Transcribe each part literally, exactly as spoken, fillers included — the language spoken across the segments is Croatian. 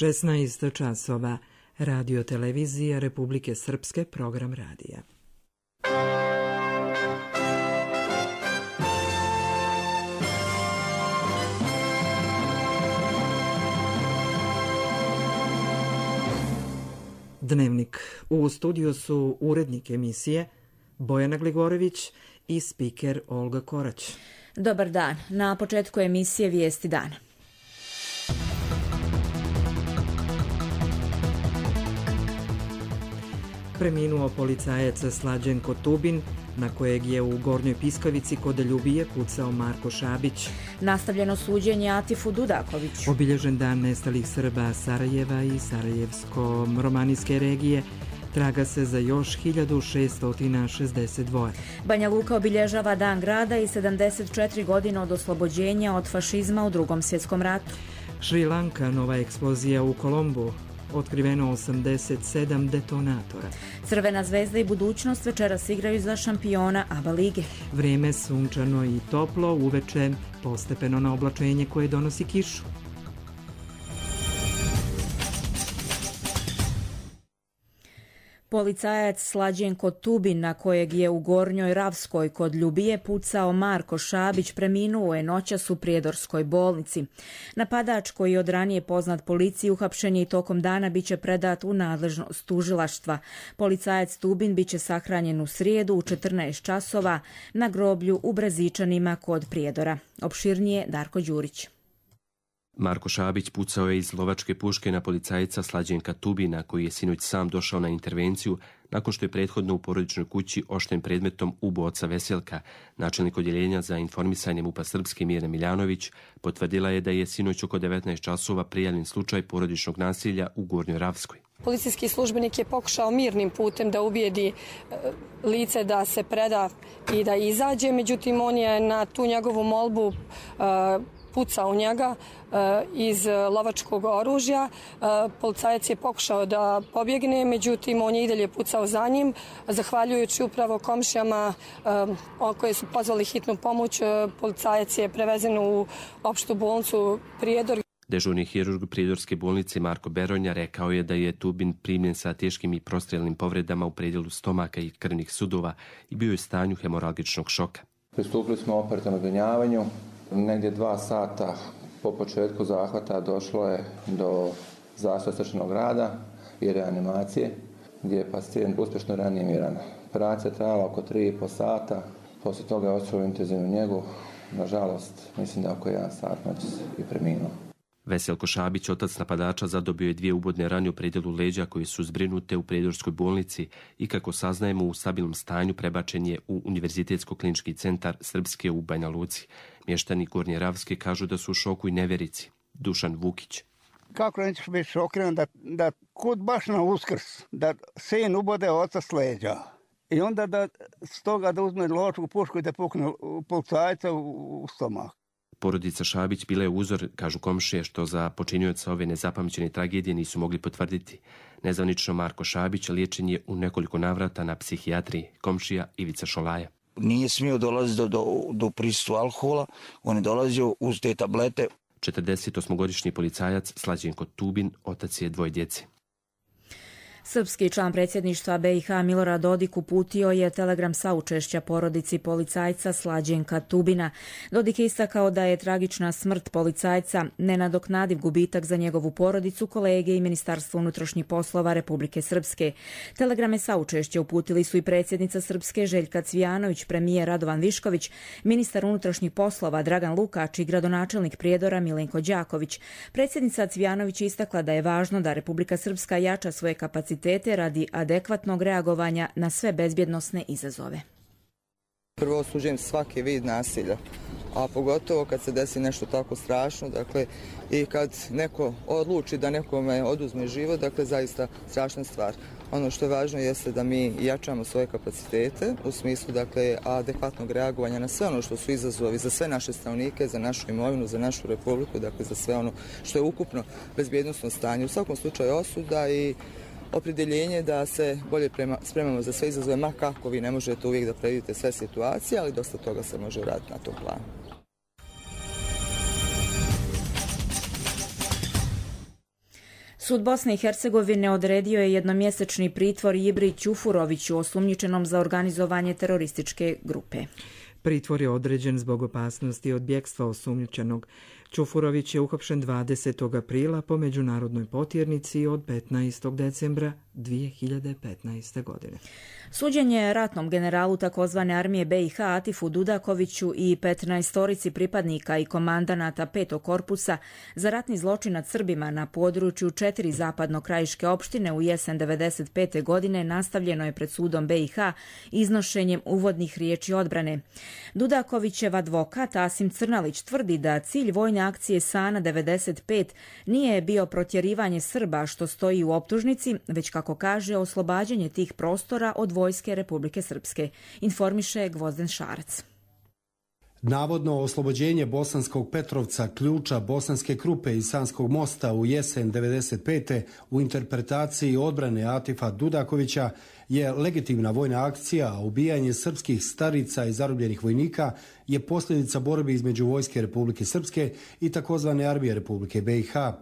šesnaest časova, Radio televizija Republike Srpske, program radija. Dnevnik. U studiju su urednik emisije Bojana Gligorević i spiker Olga Korać. Dobar dan. Na početku emisije Vijesti dana. Preminuo policajac Slađenko Tubin, na kojeg je u Gornjoj Piskavici kod Ljubije pucao Marko Šabić. Nastavljeno suđenje Atifu Dudakoviću. Obilježen dan nestalih Srba Sarajeva i Sarajevsko-romanijske regije. Traga se za još hiljadu šeststo šezdeset dva. Banja Luka obilježava Dan grada i sedamdeset četiri godine od oslobođenja od fašizma u Drugom svjetskom ratu. Šri Lanka, nova eksplozija u Kolombu. Otkriveno osamdeset sedam detonatora. Crvena zvezda i budućnost večeras igraju za šampiona A B A lige. Vrijeme sunčano i toplo, uveče postepeno na oblačenje koje donosi kišu. Policajac Slađenko Tubin, na kojeg je u Gornjoj Ravskoj kod Ljubije pucao Marko Šabić, preminuo je noćas u Prijedorskoj bolnici. Napadač, koji je od ranije poznat policiji, uhapšen je i tokom dana biće predat u nadležnost tužilaštva. Policajac Tubin biće sahranjen u srijedu u četrnaest časova na groblju u Brezičanima kod Prijedora. Opširnije Darko Đurić. Marko Šabić pucao je iz lovačke puške na policajca Slađenka Tubina, koji je sinoć sam došao na intervenciju nakon što je prethodno u porodičnoj kući ošten predmetom ubio oca Veselka. Načelnik odjeljenja za informisanje MUP-a Srpske Mirna Miljanović potvrdila je da je sinoć oko devetnaest časova prijavljen slučaj porodičnog nasilja u Gornjoj Ravskoj. Policijski službenik je pokušao mirnim putem da ubijedi lice da se preda i da izađe, međutim on je na tu njegovu molbu uh, pucao u njega uh, iz lovačkog oružja. Uh, policajac je pokušao da pobjegne, međutim on je i dalje pucao za njim. Zahvaljujući upravo komšijama uh, koje su pozvali hitnu pomoć, uh, policajac je prevezen u opštu bolnicu Prijedor. Dežurni hirurg Prijedorske bolnice Marko Beronja rekao je da je Tubin primljen sa teškim i prostrelnim povredama u predjelu stomaka i krvnih sudova i bio je u stanju hemoralgičnog šoka. Pristupili smo operativnom zbrinjavanju. Negdje dva sata po početku zahvata došlo je do zastoja srčanog rada i reanimacije, gdje je pacijent uspješno reanimiran. Operacija je trajala oko tri i pol sata, poslije toga je otišao u intenzivnu njegu. Nažalost, mislim da oko jedan sat noćas i preminuo. Veselko Šabić, otac napadača, zadobio je dvije ubodne rane u predjelu leđa koje su zbrinute u Prijedorskoj bolnici i, kako saznajemo, u stabilnom stanju prebačen je u Univerzitetsko-klinički centar Srpske u Banja Luci. Mještani Gornje Ravske kažu da su u šoku i nevjerici. Dušan Vukić. Kako nećeš biti šokiran da, da kud baš na Uskrs, da sin ubode oca s leđa i onda da stoga da uzme lovačku pušku i da pukne policajca u, u stomak. Porodica Šabić bila je uzor, kažu komšije, što za počinioca ove nezapamćene tragedije nisu mogli potvrditi. Nezvanično Marko Šabić liječen je u nekoliko navrata na psihijatriji. Komšija Ivica Šolaja. Nije smio dolaziti do, do, do prisustva alkohola, on je dolazio uz te tablete. četrdesetosmogodišnji policajac Slađenko Tubin, otac je dvoje djece. Srpski član predsjedništva B i H Milorad Dodik uputio je telegram saučešća porodici policajca Slađenka Tubina. Dodik je istakao da je tragična smrt policajca nenadoknadiv gubitak za njegovu porodicu, kolege i Ministarstvo unutrašnjih poslova Republike Srpske. Telegrame saučešća uputili su i predsjednica Srpske Željka Cvijanović, premijer Radovan Višković, ministar unutrašnjih poslova Dragan Lukač i gradonačelnik Prijedora Milenko Đaković. Predsjednica Cvijanović istakla da je važno da Republika Srpska jača svoje kapacitete radi adekvatnog reagovanja na sve bezbjednosne izazove. Prvo osuđujem svaki vid nasilja, a pogotovo kad se desi nešto tako strašno, dakle, i kad neko odluči da nekome oduzme život, dakle, zaista strašna stvar. Ono što je važno jeste da mi jačamo svoje kapacitete u smislu, dakle, adekvatnog reagovanja na sve ono što su izazovi za sve naše stanovnike, za našu imovinu, za našu republiku, dakle, za sve ono što je ukupno bezbjednosno stanje. U svakom slučaju osuda i opredjeljenje da se bolje prema, spremamo za sve izazove, ma kako vi ne možete uvijek da predvidite sve situacije, ali dosta toga se može raditi na tom planu. Sud Bosne i Hercegovine odredio je jednomjesečni pritvor Ibri Ćufuroviću, osumnjičenom za organizovanje terorističke grupe. Pritvor je određen zbog opasnosti od bjegstva osumnjičenog. Ćufurović je uhapšen dvadesetog aprila po međunarodnoj potjernici od petnaestog decembra dvije hiljade petnaeste. godine. Suđenje ratnom generalu takozvane armije B i H Atifu Dudakoviću i petnaestorici pripadnika i komandanata petog korpusa za ratni zločin nad Srbima na području četiri zapadno-krajiške opštine u jesen devedeset pete. godine nastavljeno je pred sudom B i H iznošenjem uvodnih riječi odbrane. Dudakovićev advokat Asim Crnalić tvrdi da cilj vojne akcije Sana devedeset pet nije bio protjerivanje Srba, što stoji u optužnici, već, kako kaže, oslobađanje tih prostora od vojske Republike Srpske, informiše Gvozden Šarac. Navodno oslobođenje Bosanskog Petrovca, Ključa, Bosanske Krupe i Sanskog mosta u jesen devedeset pete. u interpretaciji odbrane Atifa Dudakovića je legitimna vojna akcija, a ubijanje srpskih starica i zarobljenih vojnika je posljedica borbe između vojske Republike Srpske i takozvane armije Republike B i H.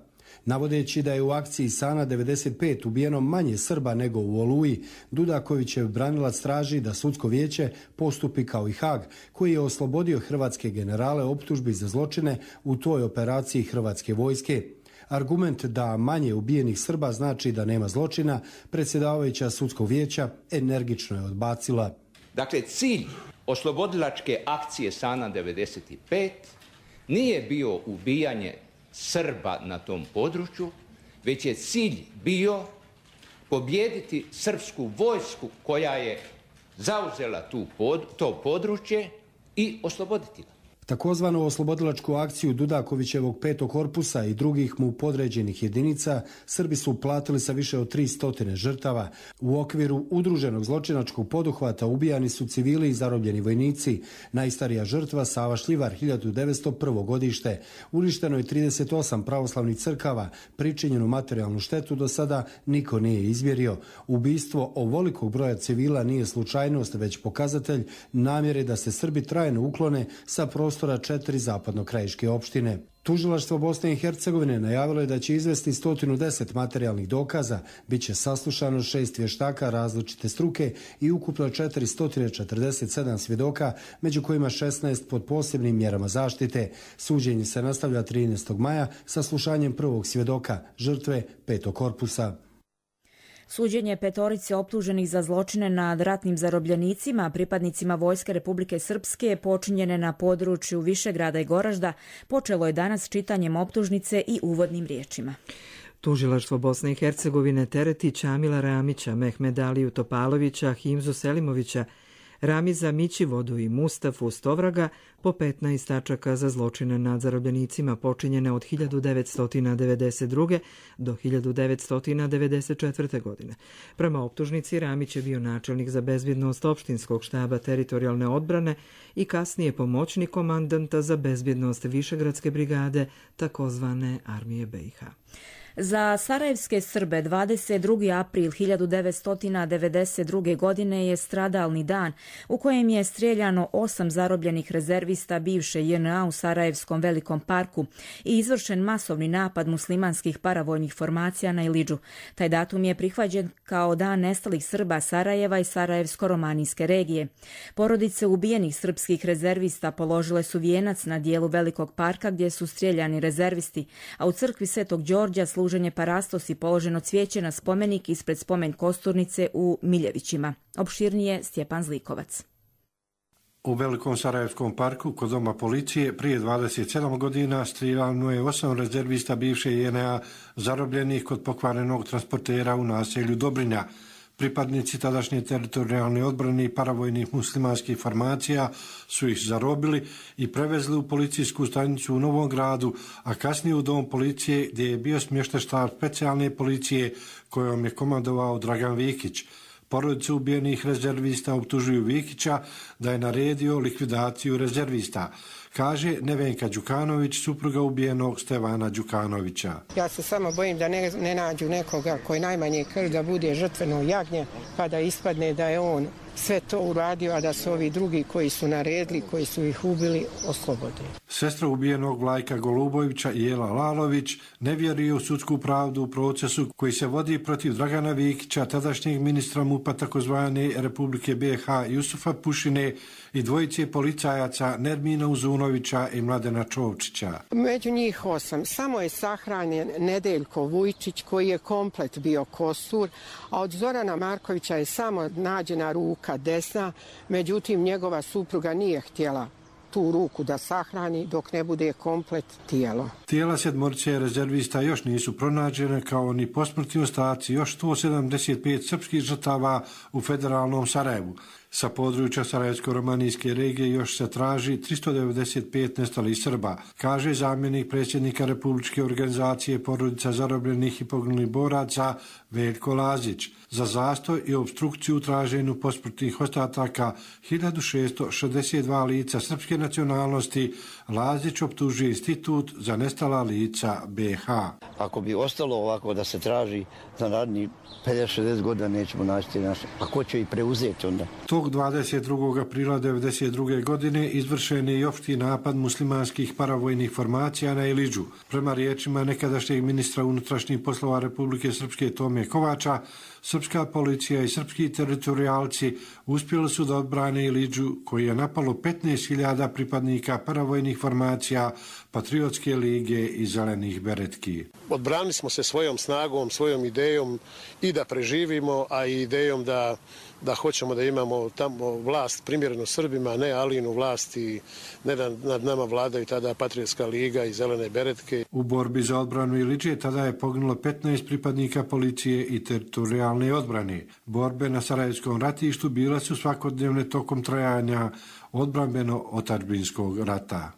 Navodeći da je u akciji Sana devedeset pet ubijeno manje Srba nego u Oluji, Dudakovićev branilac traži da sudsko vijeće postupi kao i Hag, koji je oslobodio hrvatske generale optužbi za zločine u toj operaciji hrvatske vojske. Argument da manje ubijenih Srba znači da nema zločina, predsjedavajuća sudskog vijeća energično je odbacila. Dakle, cilj oslobodilačke akcije Sana devedeset pet nije bio ubijanje Srba na tom području, već je cilj bio pobijediti srpsku vojsku koja je zauzela tu pod, to područje i osloboditi ga. Takozvanu oslobodilačku akciju Dudakovićevog petog korpusa i drugih mu podređenih jedinica Srbi su platili sa više od tri stotine žrtava. U okviru udruženog zločinačkog poduhvata ubijani su civili i zarobljeni vojnici. Najstarija žrtva Sava Šljivar, hiljadu devetsto prvo. godište. Uništeno je trideset osam pravoslavnih crkava, pričinjenu materijalnu štetu do sada niko nije izmjerio. Ubistvo ovolikog broja civila nije slučajnost, već pokazatelj namjere da se Srbi trajno uklone sa prostora četiri zapadno-krajiške opštine. Tužilaštvo Bosne i Hercegovine najavilo je da će izvesti sto deset materijalnih dokaza, bit će saslušano šest vještaka različite struke i ukupno četiristo četrdeset sedam svjedoka, među kojima šesnaest pod posebnim mjerama zaštite. Suđenje se nastavlja trinaestog maja sa slušanjem prvog svjedoka, žrtve petog korpusa. Suđenje petorice optuženih za zločine nad ratnim zarobljenicima, pripadnicima Vojske Republike Srpske, počinjene na području Višegrada i Goražda, počelo je danas čitanjem optužnice i uvodnim riječima. Tužilaštvo Bosne i Hercegovine tereti Čamila Ramića, Mehmeda Aliju Topalovića, Himzu Selimovića, Ramiza Mićivodu i Mustafu Stovraga po petnaest tačaka za zločine nad zarobljenicima počinjene od hiljadu devetsto devedeset druge. do hiljadu devetsto devedeset četvrte. godine. Prema optužnici, Ramić je bio načelnik za bezbjednost opštinskog štaba teritorijalne odbrane i kasnije pomoćnik komandanta za bezbjednost Višegradske brigade, takozvane armije B i H. Za sarajevske Srbe dvadeset drugi april hiljadu devetsto devedeset druge. godine je stradalni dan u kojem je strijeljano osam zarobljenih rezervista bivše J N A u Sarajevskom velikom parku i izvršen masovni napad muslimanskih paravojnih formacija na Ilidžu. Taj datum je prihvaćen kao dan nestalih Srba Sarajeva i Sarajevsko-romanijske regije. Porodice ubijenih srpskih rezervista položile su vijenac na dijelu velikog parka gdje su strijeljani rezervisti, a u crkvi Svetog Đorđa služenje parastos i položeno cvijeće na spomenik ispred spomen kosturnice u Miljevićima. Opširnije Stjepan Zlikovac. U Velikom Sarajevskom parku kod doma policije prije dvadeset sedam godina strijeljano je osam rezervista bivše J N A zarobljenih kod pokvarenog transportera u naselju Dobrinja. Pripadnici tadašnje teritorijalne odbrane i paravojnih muslimanskih formacija su ih zarobili i prevezli u policijsku stanicu u Novom Gradu, a kasnije u dom policije gdje je bio smješten štab specijalne policije kojom je komandovao Dragan Vikić. Porodice ubijenih rezervista optužuju Vikića da je naredio likvidaciju rezervista, kaže Nevenka Đukanović, supruga ubijenog Stevana Đukanovića. Ja se samo bojim da ne, ne nađu nekoga koji najmanje krv da bude žrtveno jagnje, pa da ispadne da je on sve to uradio, a da se ovi drugi koji su naredili, koji su ih ubili, oslobode. Sestra ubijenog Vlajka Golubovića i Jela Lalović ne vjeruje u sudsku pravdu u procesu koji se vodi protiv Dragana Vikića, tadašnjeg ministra MUP-a takozvane Republike B iH Jusufa Pušine i dvojice policajaca Nermina Uzunovića i Mladena Čovčića. Među njih osam samo je sahranjen Nedeljko Vujčić koji je komplet bio kostur, a od Zorana Markovića je samo nađena ruka desna, međutim njegova supruga nije htjela tu ruku da sahrani dok ne bude komplet tijelo. Tijela sedmorice rezervista još nisu pronađene, kao ni posmrtni ostaci još sto sedamdeset pet srpskih žrtava u federalnom Sarajevu. Sa područja Sarajevsko-romanijske regije još se traži tristo devedeset pet nestalih Srba, kaže zamjenik predsjednika Republičke organizacije porodica zarobljenih i poginulih boraca Veljko Lazić. Za zastoj i obstrukciju u traženju posmrtnih ostataka hiljadu šesto šezdeset dva lica srpske nacionalnosti Lazić optužuje Institut za nestala lica B iH. Ako bi ostalo ovako da se traži za narednih pedeset šezdeset godina, nećemo naći naše. A ko će i preuzeti onda? Tog dvadeset drugog aprila devedeset druge godine izvršen je i opšti napad muslimanskih paravojnih formacija na Iliđu. Prema riječima nekadašnjeg ministra unutrašnjih poslova Republike Srpske Tome Kovača, srpska policija i srpski teritorijalci uspjeli su da odbrane Iliđu, koji je napalo petnaest hiljada pripadnika paravojnih formacija, Patriotske lige i Zelenih beretki. Odbranili smo se svojom snagom, svojom idejom i da preživimo, a i idejom da da hoćemo da imamo tamo vlast primjerenu Srbima, ne Alinu vlast i ne da nad nama vladaju tada Patriotska liga i Zelene beretke. U borbi za odbranu Iliđe tada je poginulo petnaest pripadnika policije i teritorijalne odbrane. Borbe na Sarajevskom ratištu bile su svakodnevne tokom trajanja odbrambeno-otadžbinskog rata.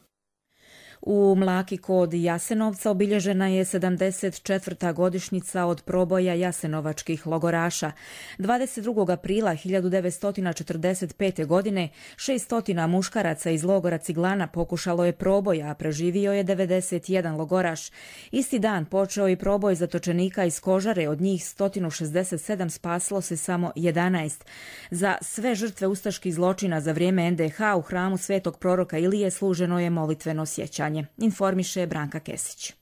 U Mlaki kod Jasenovca obilježena je sedamdeset četvrta godišnjica od proboja jasenovačkih logoraša. dvadeset drugog aprila hiljadu devetsto četrdeset pete. godine šesto muškaraca iz logora Ciglana pokušalo je proboj, a preživio je devedeset jedan logoraš. Isti dan počeo i proboj zatočenika iz Kožare, od njih sto šezdeset sedam spasilo se samo jedanaest. Za sve žrtve ustaških zločina za vrijeme en de ha u hramu Svetog proroka Ilije služeno je molitveno sjećanje. Informiše Branka Kesić.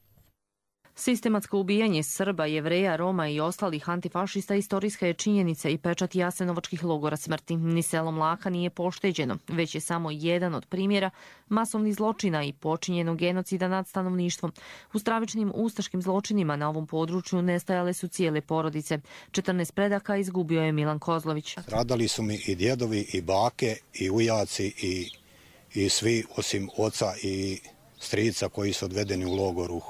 Sistematsko ubijanje Srba, Jevreja, Roma i ostalih antifašista istorijska je činjenica i pečat jasenovačkih logora smrti. Ni selo Mlaka nije pošteđeno, već je samo jedan od primjera masovnih zločina i počinjenog genocida nad stanovništvom. U stravičnim ustaškim zločinima na ovom području nestajale su cijele porodice. četrnaest predaka izgubio je Milan Kozlović. Stradali su mi i djedovi, i bake, i ujaci, i, i svi osim oca i strica koji su odvedeni u logoru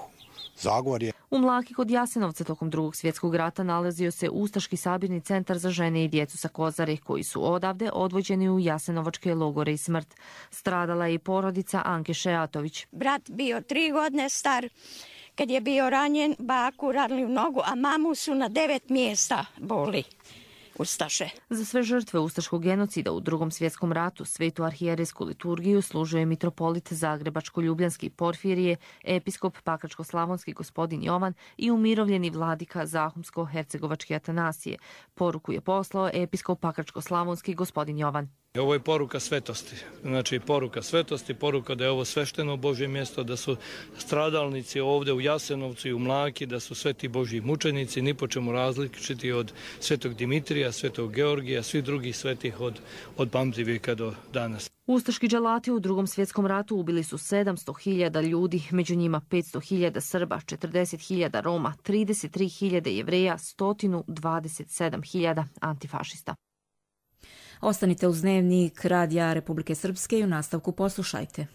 Zagorje. U Mlaki kod Jasenovca tokom drugog svjetskog rata nalazio se Ustaški sabirni centar za žene i djecu sa Kozare, koji su odavde odvođeni u jasenovačke logore i smrt. Stradala je i porodica Anke Šeatović. Brat bio tri godine star, kad je bio ranjen, baku radili u nogu, a mamu su na devet mjesta boli. Ustaše. Za sve žrtve ustaškog genocida u drugom svjetskom ratu svetu arhijerejsku liturgiju služuje mitropolit Zagrebačko-ljubljanski Porfirije, episkop Pakračko-slavonski gospodin Jovan i umirovljeni vladika Zahumsko-hercegovački Atanasije. Poruku je poslao episkop Pakračko-slavonski gospodin Jovan. Ovo je poruka svetosti, znači poruka svetosti, poruka da je ovo svešteno Božje mjesto, da su stradalnici ovdje u Jasenovcu i u Mlaki, da su sveti Božji mučenici, ni po čemu različiti od svetog Dimitrija, svetog Georgija, svih drugih svetih od, od pamtivijeka do danas. Ustaški dželati u drugom svjetskom ratu ubili su sedamsto hiljada ljudi, među njima petsto hiljada Srba, četrdeset hiljada Roma, trideset tri hiljade Jevreja, sto dvadeset sedam hiljada antifašista. Ostanite uz dnevnik Radija Republike Srpske i u nastavku poslušajte.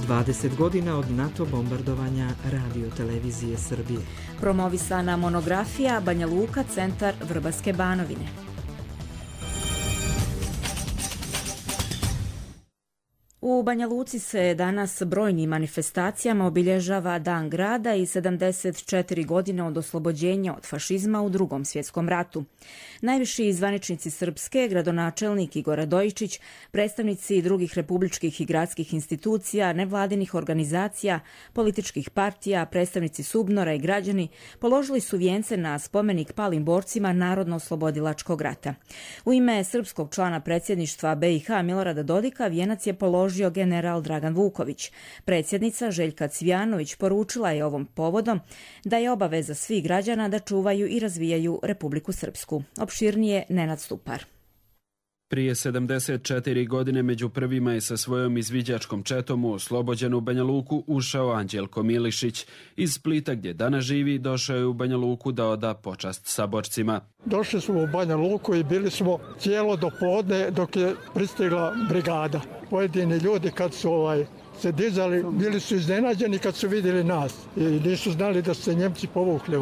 dvadeset godina od NATO bombardovanja Radio televizije Srbije. Promovisana monografija Banja Luka, centar Vrbarske Banovine. U Banja Luci se danas brojnim manifestacijama obilježava Dan grada i sedamdeset četiri godine od oslobođenja od fašizma u Drugom svjetskom ratu. Najviši zvaničnici Srpske, gradonačelnik Igor Radojičić, predstavnici drugih republičkih i gradskih institucija, nevladinih organizacija, političkih partija, predstavnici Subnora i građani položili su vijence na spomenik palim borcima Narodno-oslobodilačkog rata. U ime srpskog člana predsjedništva B i H Milorada Dodika vijenac je položio general Dragan Vuković. Predsjednica Željka Cvijanović poručila je ovom povodom da je obaveza svih građana da čuvaju i razvijaju Republiku Srpsku. Opširnije Nenad Stupar. Prije sedamdeset četiri godine među prvima je sa svojom izviđačkom četom u oslobođenu Banja Luku ušao Anđelko Milišić. Iz Splita gdje danas živi došao je u Banja Luku da oda počast saborcima. Došli smo u Banja Luku i bili smo cijelo do podne dok je pristigla brigada. Pojedini ljudi kad su ovaj, se dizali bili su iznenađeni kad su vidjeli nas i nisu znali da su se Njemci povukli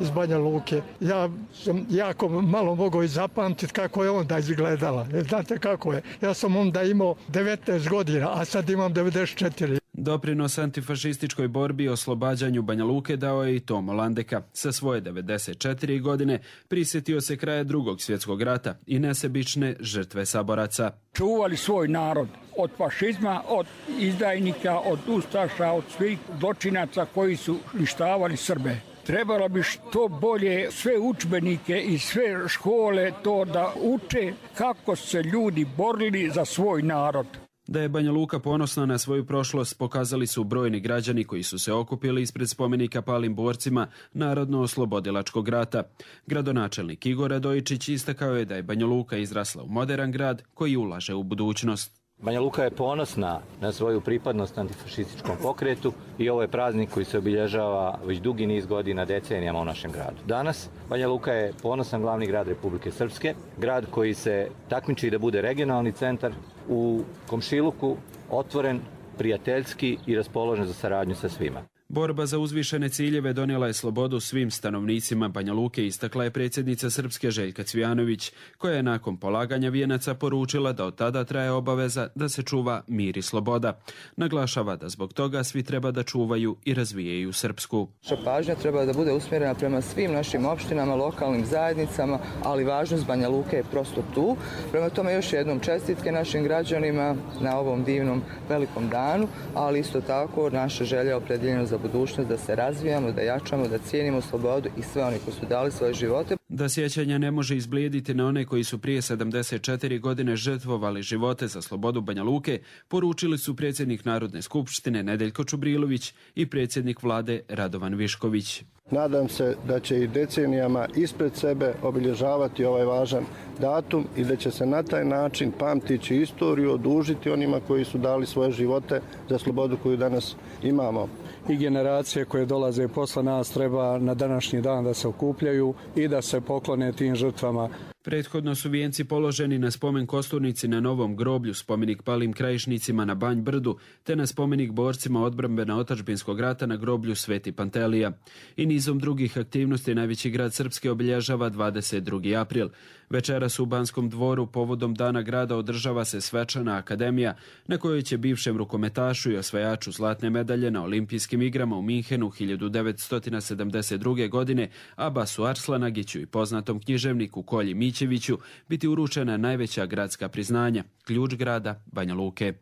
iz Banja Luke. Ja sam jako malo mogao i zapamtiti kako je onda izgledala. Znate kako je? Ja sam onda imao devetnaest godina, a sad imam devedeset četiri. Doprinos antifašističkoj borbi i oslobađanju Banja Luke dao je i Tomo Landeka. Sa svoje devedeset četiri godine prisjetio se kraja Drugog svjetskog rata i nesebične žrtve saboraca. Čuvali svoj narod od fašizma, od izdajnika, od ustaša, od svih zločinaca koji su uništavali Srbe. Trebalo bi što bolje sve udžbenike i sve škole to da uče kako se ljudi borili za svoj narod. Da je Banja Luka ponosna na svoju prošlost pokazali su brojni građani koji su se okupili ispred spomenika palim borcima Narodno-oslobodilačkog rata. Gradonačelnik Igor Radojičić istakao je da je Banja Luka izrasla u moderan grad koji ulaže u budućnost. Banja Luka je ponosna na svoju pripadnost antifašističkom pokretu i ovo je praznik koji se obilježava već dugi niz godina, decenijama u našem gradu. Danas Banja Luka je ponosan glavni grad Republike Srpske, grad koji se takmiči da bude regionalni centar u komšiluku, otvoren, prijateljski i raspoložen za saradnju sa svima. Borba za uzvišene ciljeve donijela je slobodu svim stanovnicima Banja Luke, istakla je predsjednica Srpske Željka Cvijanović, koja je nakon polaganja vijenaca poručila da od tada traje obaveza da se čuva mir i sloboda. Naglašava da zbog toga svi treba da čuvaju i razvijaju Srpsku. Naša pažnja treba da bude usmjerena prema svim našim opštinama, lokalnim zajednicama, ali važnost Banja Luke je prosto tu. Prema tome još jednom čestitke našim građanima na ovom divnom velikom danu, ali isto tako naša želja opredjeljena za budućnost, da se razvijamo, da jačamo, da cijenimo slobodu i sve oni koji su dali svoje živote. Da sjećanja ne može izblijediti na one koji su prije sedamdeset četiri godine žrtvovali živote za slobodu Banja Luke, poručili su predsjednik Narodne skupštine Nedeljko Čubrilović i predsjednik vlade Radovan Višković. Nadam se da će i decenijama ispred sebe obilježavati ovaj važan datum i da će se na taj način pamtići istoriju, odužiti onima koji su dali svoje živote za slobodu koju danas imamo. I generacije koje dolaze posle nas treba na današnji dan da se okupljaju i da se poklone tim žrtvama. Prethodno su vijenci položeni na spomen kosturnici na Novom groblju, spomenik palim krajišnicima na Banj Brdu, te na spomenik borcima odbrambena otadžbinskog rata na groblju Sveti Pantelija. I nizom drugih aktivnosti najveći grad Srpske obilježava dvadeset drugi april. Večeras u Banskom dvoru povodom Dana grada održava se svečana akademija na kojoj će bivšem rukometašu i osvajaču zlatne medalje na olimpijskim igrama u Minhenu hiljadu devetsto sedamdeset druge. godine Abasu Arslanagiću i poznatom književniku Kolji Mićeviću biti uručena najveća gradska priznanja, ključ grada Banja Luke.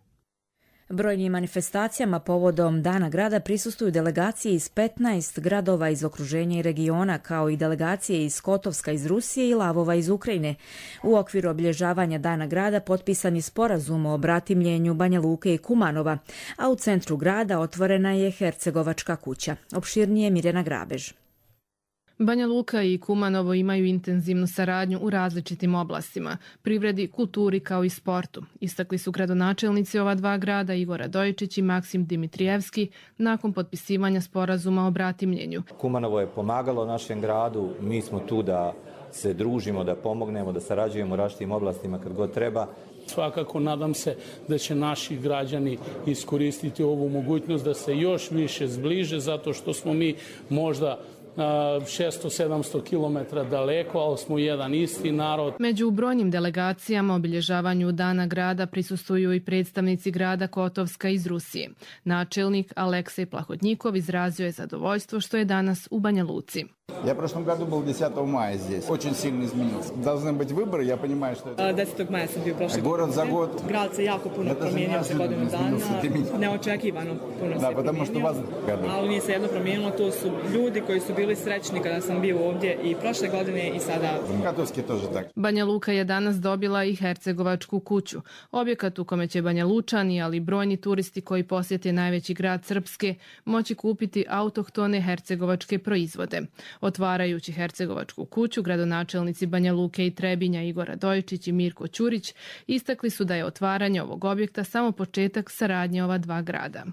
Brojnim manifestacijama povodom Dana grada prisustvuju delegacije iz petnaest gradova iz okruženja i regiona, kao i delegacije iz Kotovska iz Rusije i Lavova iz Ukrajine. U okviru obilježavanja Dana grada potpisan je sporazum o bratimljenju Banja Luke i Kumanova, a u centru grada otvorena je Hercegovačka kuća. Opširnije Mirjana Grabež. Banja Luka i Kumanovo imaju intenzivnu saradnju u različitim oblastima, privredi, kulturi kao i sportu. Istakli su gradonačelnici ova dva grada Igor Radojičić i Maksim Dimitrijevski nakon potpisivanja sporazuma o bratimljenju. Kumanovo je pomagalo našem gradu, mi smo tu da se družimo, da pomognemo, da sarađujemo u različitim oblastima kad god treba. Svakako nadam se da će naši građani iskoristiti ovu mogućnost da se još više zbliže, zato što smo mi možda šesto do sedamsto kilometara daleko, ali smo jedan isti narod. Među brojnim delegacijama obilježavanju Dana grada prisustvuju i predstavnici grada Kotovska iz Rusije. Načelnik Aleksej Plahodnjikov izrazio je zadovoljstvo što je danas u Banja Luci. Я в прошлом году был десятого мая здесь. Очень сильно изменился. Должны быть выборы, я понимаю, что это... desetog maja sam bio prošle godine. Город за год. Grad se jako puno promijenio za godinu dana. Neočekivano puno se promijenio. Ali nije se jedno promijenilo. To su ljudi koji su bili srećni kada sam bio ovdje i prošle godine i sada. Katovski тоже так. Banja Luka je danas dobila i Hercegovačku kuću. Objekat u kome će Banja Lučani, ali i brojni turisti koji posjete najveći grad Srpske, moći kupiti autohtone hercegovačke proizvode. Otvarajući Hercegovačku kuću, gradonačelnici Banja Luke i Trebinja Igor Radojičić i Mirko Ćurić istakli su da je otvaranje ovog objekta samo početak saradnje ova dva grada.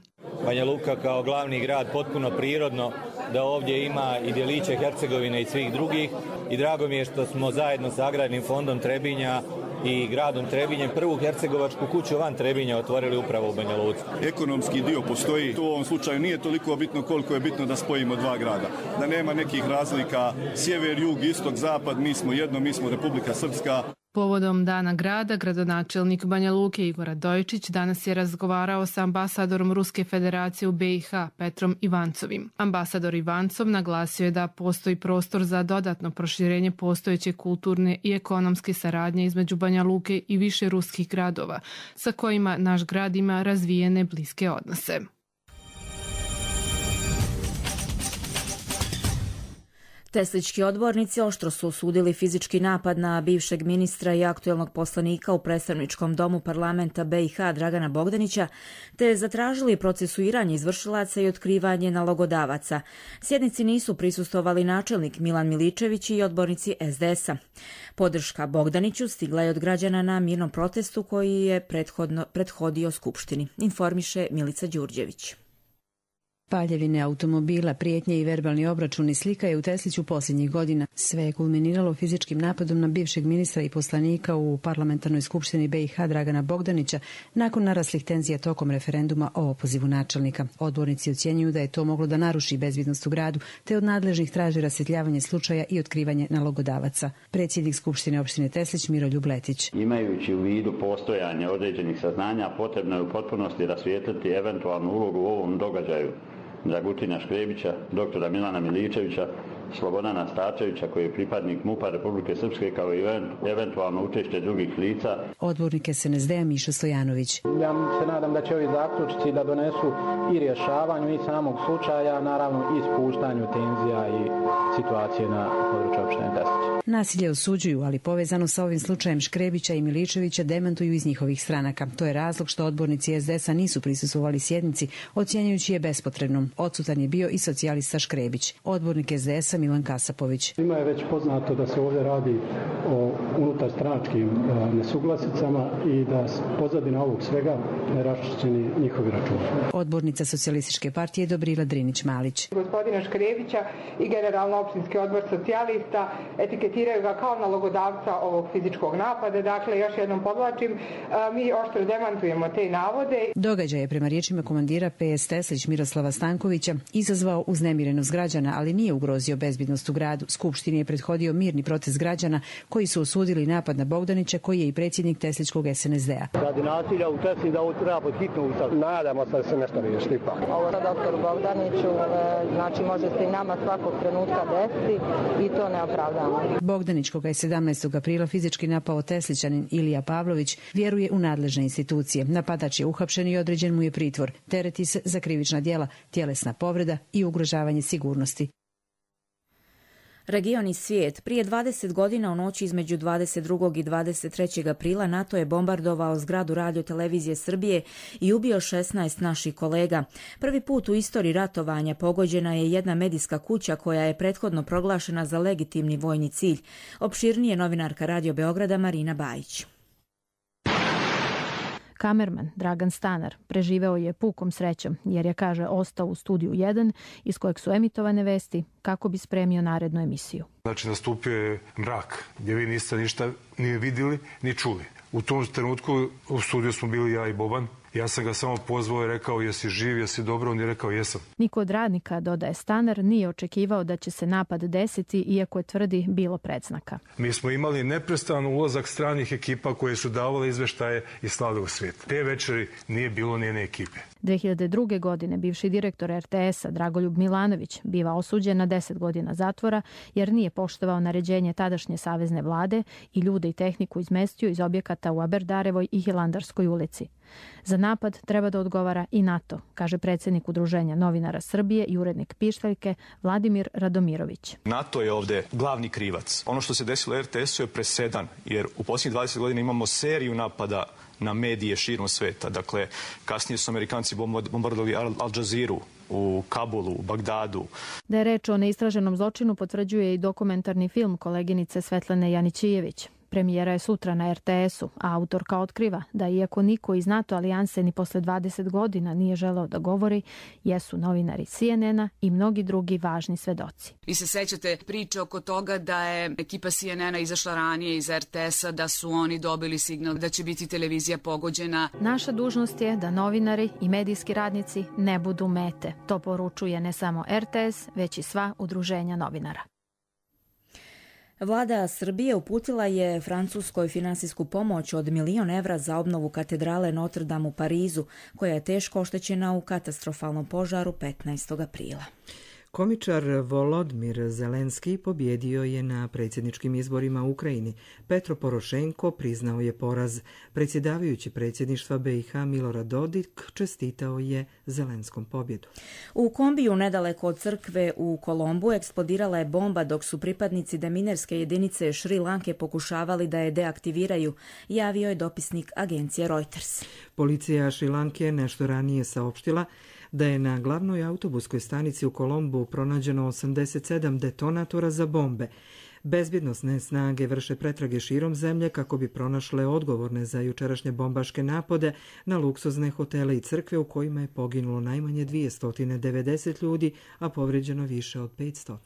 Banja Luka kao glavni grad potpuno prirodno da ovdje ima i djeliće Hercegovine i svih drugih i drago mi je što smo zajedno sa Agrarnim fondom Trebinja i gradom Trebinjem prvu hercegovačku kuću van Trebinja otvorili upravo u Banja Luci. Ekonomski dio postoji, to u ovom slučaju nije toliko bitno koliko je bitno da spojimo dva grada. Da nema nekih razlika sjever, jug, istok, zapad, mi smo jedno, mi smo Republika Srpska. Povodom Dana grada, gradonačelnik Banja Luke Igor Radojičić danas je razgovarao sa ambasadorom Ruske federacije u B i H Petrom Ivancovim. Ambasador Ivancov naglasio je da postoji prostor za dodatno proširenje postojeće kulturne i ekonomske saradnje između Banja Luke i više ruskih gradova, sa kojima naš grad ima razvijene bliske odnose. Teslički odbornici oštro su osudili fizički napad na bivšeg ministra i aktuelnog poslanika u predstavničkom domu parlamenta B i H Dragana Bogdanića, te zatražili procesuiranje izvršilaca i otkrivanje nalogodavaca. Sjednici nisu prisustvovali načelnik Milan Miličević i odbornici S D S-a. Podrška Bogdaniću stigla je od građana na mirnom protestu koji je prethodno, prethodio Skupštini, informiše Milica Đurđević. Paljevine automobila, prijetnje i verbalni obračuni slika je u Tesliću posljednjih godina. Sve je kulminiralo fizičkim napadom na bivšeg ministra i poslanika u parlamentarnoj skupštini B i H Dragana Bogdanića nakon naraslih tenzija tokom referenduma o opozivu načelnika. Odbornici ocjenjuju da je to moglo da naruši bezbjednost u gradu, te od nadležnih traži rasvjetljavanje slučaja i otkrivanje nalogodavaca. Predsjednik Skupštine opštine Teslić Miroljub Letić. Imajući u vidu postojanje određenih saznanja, potrebno je u potpunosti rasvijetliti eventualnu ulogu u ovom događaju Dragutina Škrebića, doktora Milana Miličevića, Slobodana Stačevića koji je pripadnik MUP-a Republike Srpske kao i eventualno učešće drugih lica. Odbornik S N S D-a Mišo Stojanović. Ja se nadam da će ovi zaključci da donesu i rješavanju i samog slučaja, naravno i spuštanju tenzija i situacije na području opštine Teslić. Nasilje osuđuju, ali povezano sa ovim slučajem Škrebića i Miličevića demantuju iz njihovih stranaka. To je razlog što odbornici S D S-a nisu prisustvovali sjednici, ocjenjujući je bespotrebnom. Odsutan je bio i socijalista Škrebić. Odbornik S D S-a Milan Kasapović. Ima je već poznato da se ovdje radi o unutarstranačkim nesuglasicama i da pozadina ovog svega ne raščišćeni njihovi računi. Odbornica socijalističke partije Dobrila Drinić-Malić. Gospodina Škrebića i generalno opštinski odbor socijalista etiketiraju ga kao nalogodavca ovog fizičkog napada. Dakle, još jednom podvlačim, mi oštro demantujemo te navode. Događaj je prema riječima komandira P S Teslić Miroslava Stankovića izazvao uznemirenost građana, ali nije ugrozio bezbjednost u gradu. Skupštini je prethodio mirni protest građana koji su osudili napad na Bogdanića, koji je i predsjednik Tesličkog S N S D-a. Radi nasilja u Tesli da ovo treba pod hitno ustav. Nadamo se da se nešto riješi ipak. Ovo sa doktoru Bogdaniću, znači može se i nama svakog trenutka desiti i to ne opravdamo. Bogdanić, koga je sedamnaestog aprila fizički napao Teslićanin Ilija Pavlović, vjeruje u nadležne institucije. Napadač je uhapšen i određen mu je pritvor. Tereti se za krivična djela, tjelesna povreda i ugrožavanje sigurnosti. Region i svijet. Prije dvadeset godina u noći između dvadeset drugog i dvadeset trećeg aprila NATO je bombardovao zgradu Radio-televizije Srbije i ubio šesnaest naših kolega. Prvi put u istoriji ratovanja pogođena je jedna medijska kuća koja je prethodno proglašena za legitimni vojni cilj. Opširnije novinarka Radio Beograda Marina Bajić. Kamerman Dragan Stanar preživeo je pukom srećom jer je, kaže, ostao u studiju jedan iz kojeg su emitovane vesti kako bi spremio narednu emisiju. Znači, nastupio je mrak gdje vi niste ništa ni vidjeli ni čuli. U tom trenutku u studiju smo bili ja i Boban Ja sam ga samo pozvao i rekao jesi živ, jesi dobro, on je rekao jesam. Niko od radnika, dodaje Stanar, nije očekivao da će se napad desiti, iako je tvrdi bilo predznaka. Mi smo imali neprestan ulazak stranih ekipa koje su davale izveštaje i slale u svijet. Te večeri nije bilo nijedne ekipe. dve hiljade druge. godine bivši direktor er te esa Dragoljub Milanović biva osuđen na deset godina zatvora jer nije poštovao naređenje tadašnje savezne vlade i ljude i tehniku izmestio iz objekata u Aberdarevoj i Hilandarskoj ulici. Za napad treba da odgovara i NATO, kaže predsjednik Udruženja novinara Srbije i urednik Pištaljke Vladimir Radomirović. NATO je ovdje glavni krivac. Ono što se desilo er te esu je presedan, jer u posljednjih dvadeset godina imamo seriju napada na medije širom sveta. Dakle, kasnije su Amerikanci bombardovali Al Jazeeru u Kabulu, u Bagdadu. Da je reč o neistraženom zločinu potvrđuje i dokumentarni film koleginice Svetlane Janićijević. Premijera je sutra na er te esu, a autorka otkriva da iako niko iz NATO alijanse ni posle dvadeset godina nije želeo da govori, jesu novinari C N N-a i mnogi drugi važni svedoci. Vi se sećate priče oko toga da je ekipa C N N-a izašla ranije iz er te esa, da su oni dobili signal da će biti televizija pogođena. Naša dužnost je da novinari i medijski radnici ne budu mete. To poručuje ne samo er te es, već i sva udruženja novinara. Vlada Srbije uputila je Francuskoj finansijsku pomoć od milion evra za obnovu katedrale Notre Dame u Parizu, koja je teško oštećena u katastrofalnom požaru petnaestog aprila. Komičar Volodimir Zelenski pobjedio je na predsjedničkim izborima u Ukrajini. Petro Porošenko priznao je poraz. Predsjedavajući predsjedništva be i ha Milorad Dodik čestitao je Zelenskom pobjedu. U kombiju nedaleko od crkve u Kolombu eksplodirala je bomba dok su pripadnici deminerske jedinice Šri Lanke pokušavali da je deaktiviraju, javio je dopisnik agencije Reuters. Policija Šri Lanke nešto ranije saopštila da je na glavnoj autobuskoj stanici u Kolombu pronađeno osamdeset sedam detonatora za bombe. Bezbjednosne snage vrše pretrage širom zemlje kako bi pronašle odgovorne za jučerašnje bombaške napade na luksuzne hotele i crkve u kojima je poginulo najmanje dvjesto devedeset ljudi, a povrijeđeno više od petsto.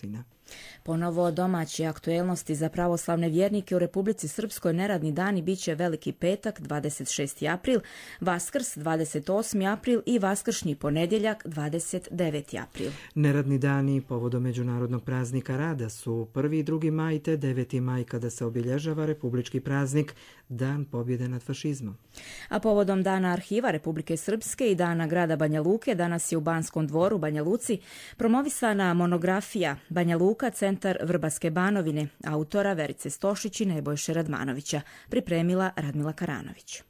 Ponovo domaće aktuelnosti za pravoslavne vjernike u Republici Srpskoj neradni dani bit će Veliki petak dvadeset šesti april, Vaskrs dvadeset osmi april i Vaskršnji ponedjeljak dvadeset deveti april. Neradni dani povodom međunarodnog praznika rada su prvi i drugi maj te deveti maj kada se obilježava republički praznik Dan pobjede nad fašizmom. A povodom Dana arhiva Republike Srpske i Dana grada Banja Luke danas je u Banskom dvoru Banja Luci promovisana monografija Banja Luka, centar Vrbaske Banovine, autora Verice Stošić i Nebojše Radmanovića, pripremila Radmila Karanović.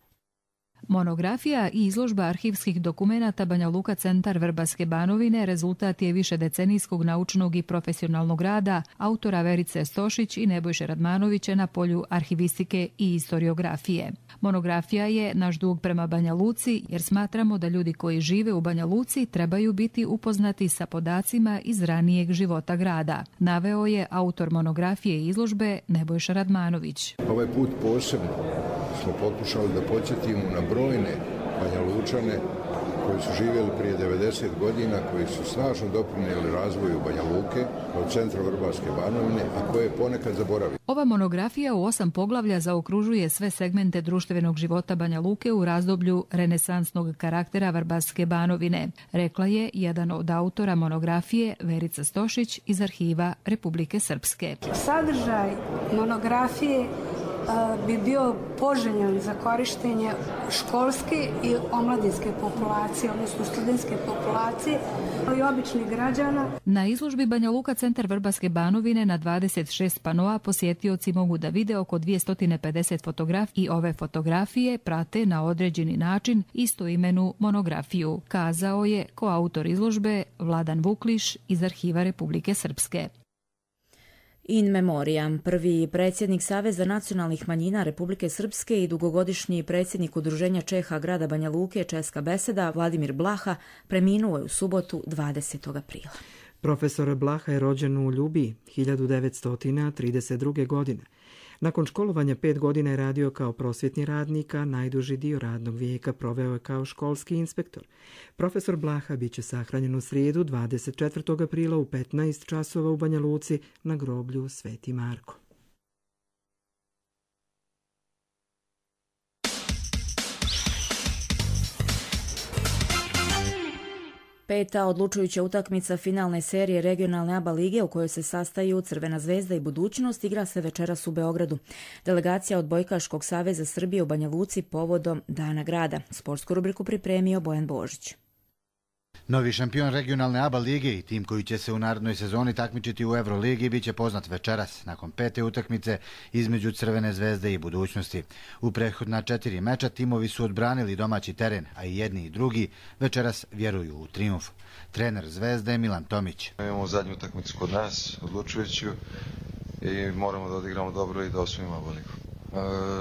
Monografija i izložba arhivskih dokumenata Banja Luka centar Vrbaske Banovine rezultat je višedecenijskog naučnog i profesionalnog rada autora Verice Stošić i Nebojše Radmanovića na polju arhivistike i historiografije. Monografija je naš dug prema Banja Luci jer smatramo da ljudi koji žive u Banja Luci trebaju biti upoznati sa podacima iz ranijeg života grada, naveo je autor monografije i izložbe Nebojša Radmanović. Ovaj put posebno smo pokušali da podsjetimo na brojne Banja Lučane koji su živjeli prije devedeset godina, koji su snažno doprinijeli razvoju Banja Luke kao centra Vrbaske Banovine, a koje ponekad zaboravili. Ova monografija u osam poglavlja zaokružuje sve segmente društvenog života Banja Luke u razdoblju renesansnog karaktera Vrbaske Banovine, rekla je jedan od autora monografije Verica Stošić iz arhiva Republike Srpske. Sadržaj monografije bi bio poželjan za korištenje školske i omladinske populacije, odnosno studentske populacije, ali i običnih građana. Na izložbi Banja Luka centar Vrbaske Banovine na dvadeset šest panoa posjetioci mogu da vide oko dvjesto pedeset fotografija i ove fotografije prate na određeni način istoimenu monografiju, kazao je koautor izložbe Vladan Vukliš iz arhiva Republike Srpske. In memoriam, prvi predsjednik Saveza nacionalnih manjina Republike Srpske i dugogodišnji predsjednik Udruženja Čeha grada Banja Luke Česka beseda Vladimir Blaha preminuo je u subotu dvadesetog aprila. Profesor Blaha je rođen u Ljubiji hiljadu devetsto trideset druge. godine. Nakon školovanja pet godina je radio kao prosvjetni radnik, a najduži dio radnog vijeka proveo je kao školski inspektor. Profesor Blaha bit će sahranjen u srijedu dvadeset četvrtog aprila u petnaest časova u Banja Luci na groblju Sveti Marko. Peta odlučujuća utakmica finalne serije regionalne A B A lige u kojoj se sastaju Crvena zvezda i Budućnost igra se večeras u Beogradu. Delegacija Odbojkaškog saveza Srbije u Banja Luci povodom Dana grada. Sportsku rubriku pripremio Bojan Božić. Novi šampion regionalne A B A lige i tim koji će se u narednoj sezoni takmičiti u Euroligi biće poznat večeras, nakon pete utakmice između Crvene zvezde i Budućnosti. U prethodna četiri meča timovi su odbranili domaći teren, a i jedni i drugi večeras vjeruju u trijumf. Trener Zvezde Milan Tomić. Imamo zadnju utakmicu kod nas, odlučujuću, i moramo da odigramo dobro i da osvojimo A B A ligu.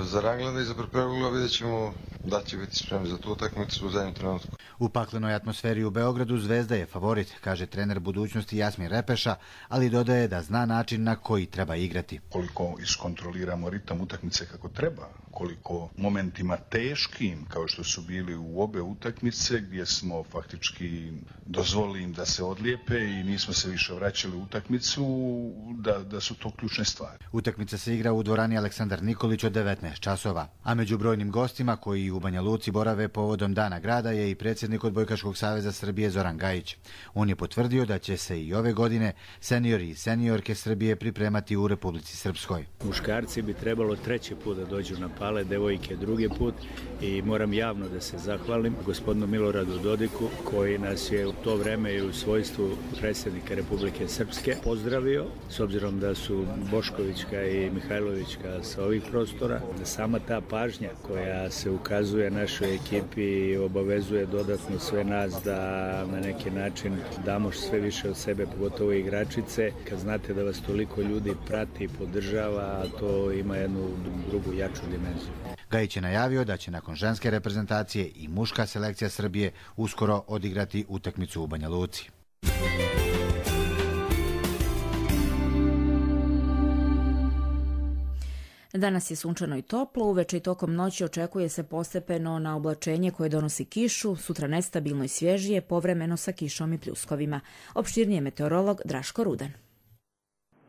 Za Ranglanda i za Prepregula vidjet ćemo da će biti spremni za tu utakmicu u zadnjem trenutku. U paklenoj atmosferi u Beogradu Zvezda je favorit, kaže trener Budućnosti Jasmin Repeša, ali dodaje da zna način na koji treba igrati. Koliko iskontroliramo ritam utakmice kako treba, koliko momentima teškim, kao što su bili u obe utakmice, gdje smo faktički dozvolili im da se odlijepe i nismo se više vraćali u utakmicu, da, da su to ključne stvari. Utakmica se igra u dvorani Aleksandar Nikolić od devetnaest časova, a među brojnim gostima koji u Banja Luci borave povodom Dana grada je i predsjednik Odbojkaškog saveza Srbije Zoran Gajić. On je potvrdio da će se i ove godine seniori i seniorke Srbije pripremati u Republici Srpskoj. Muškarci bi trebalo treći put da dođu na pale, devojke drugi put, i moram javno da se zahvalim gospodinu Miloradu Dodiku koji nas je u to vreme i u svojstvu predsjednika Republike Srpske pozdravio, s obzirom da su Boškovićka i Mihajlovićka sa ovih prostora. Sama ta pažnja koja se ukazuje našoj ekipi i obavezuje dodatno sve nas da na neki način damo sve više od sebe, pogotovo igračice, kad znate da vas toliko ljudi prati i podržava, a to ima jednu drugu jaču dimenziju. Gajić je najavio da će nakon ženske reprezentacije i muška selekcija Srbije uskoro odigrati utakmicu u Banja Luci. Danas je sunčano i toplo, uveče i tokom noći očekuje se postepeno na oblačenje koje donosi kišu, sutra nestabilno i svježije, povremeno sa kišom i pljuskovima. Opširnije meteorolog Draško Rudan.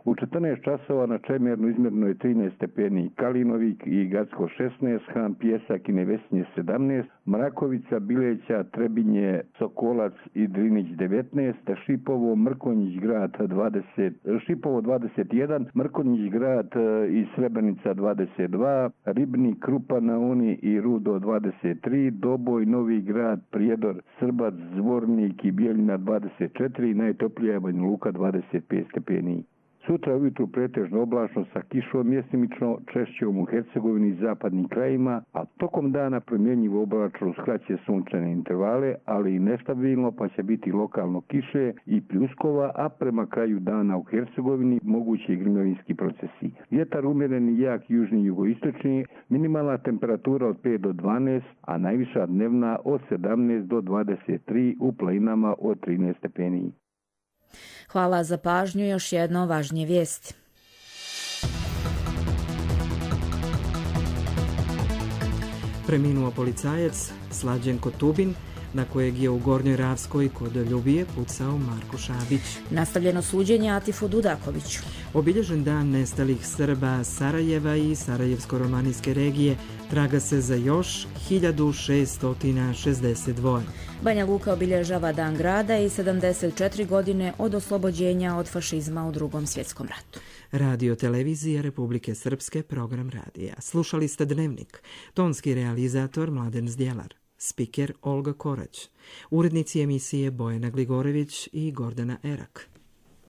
U četrnaest časova na Čemernu izmjerno je trinaest stepeni Kalinovik i Gacko šesnaest, Han, Pjesak i Nevesinje sedamnaest, Mrakovica, Bileća, Trebinje, Sokolac i Drinić devetnaest, Šipovo, Mrkonjić grad dvadeset, Šipovo dvadeset jedan, Mrkonjić grad i Srebrenica dvadeset dva, Ribnik, Krupa na Uni i Rudo dvadeset tri, Doboj, Novi grad, Prijedor, Srbac, Zvornik i Bijeljina dvadeset četiri, najtoplija je Banja Luka dvadeset pet stepeni. Sutra ujutru pretežno oblačno sa kišom mjestimično, češćom u Hercegovini i zapadnim krajima, a tokom dana promjenjivo oblačno uz kraće sunčane intervale, ali i nestabilno, pa će biti lokalno kiše i pljuskova, a prema kraju dana u Hercegovini mogući i grmljovinski procesi. Vjetar umjeren i jak južni i jugoistočni, minimalna temperatura od pet do dvanaest, a najviša dnevna od sedamnaest do dvadeset tri, u planinama od trinaest stepeni. Hvala za pažnju, još jedno važnije vijesti. Preminuo policajac Slađenko Tubin, na kojeg je u Gornjoj Ravskoj kod Ljubije pucao Marko Šabić. Nastavljeno suđenje Atifu Dudakoviću. Obilježen dan nestalih Srba Sarajeva i Sarajevsko-romanijske regije, traga se za još hiljadu šeststo šezdeset dva. Banja Luka obilježava Dan grada i sedamdeset četiri godine od oslobođenja od fašizma u Drugom svjetskom ratu. Radio televizija Republike Srpske, program radija. Slušali ste Dnevnik. Tonski realizator Mladen Zdjelar. Spiker Olga Korać. Urednici emisije Bojana Gligorević i Gordana Erak.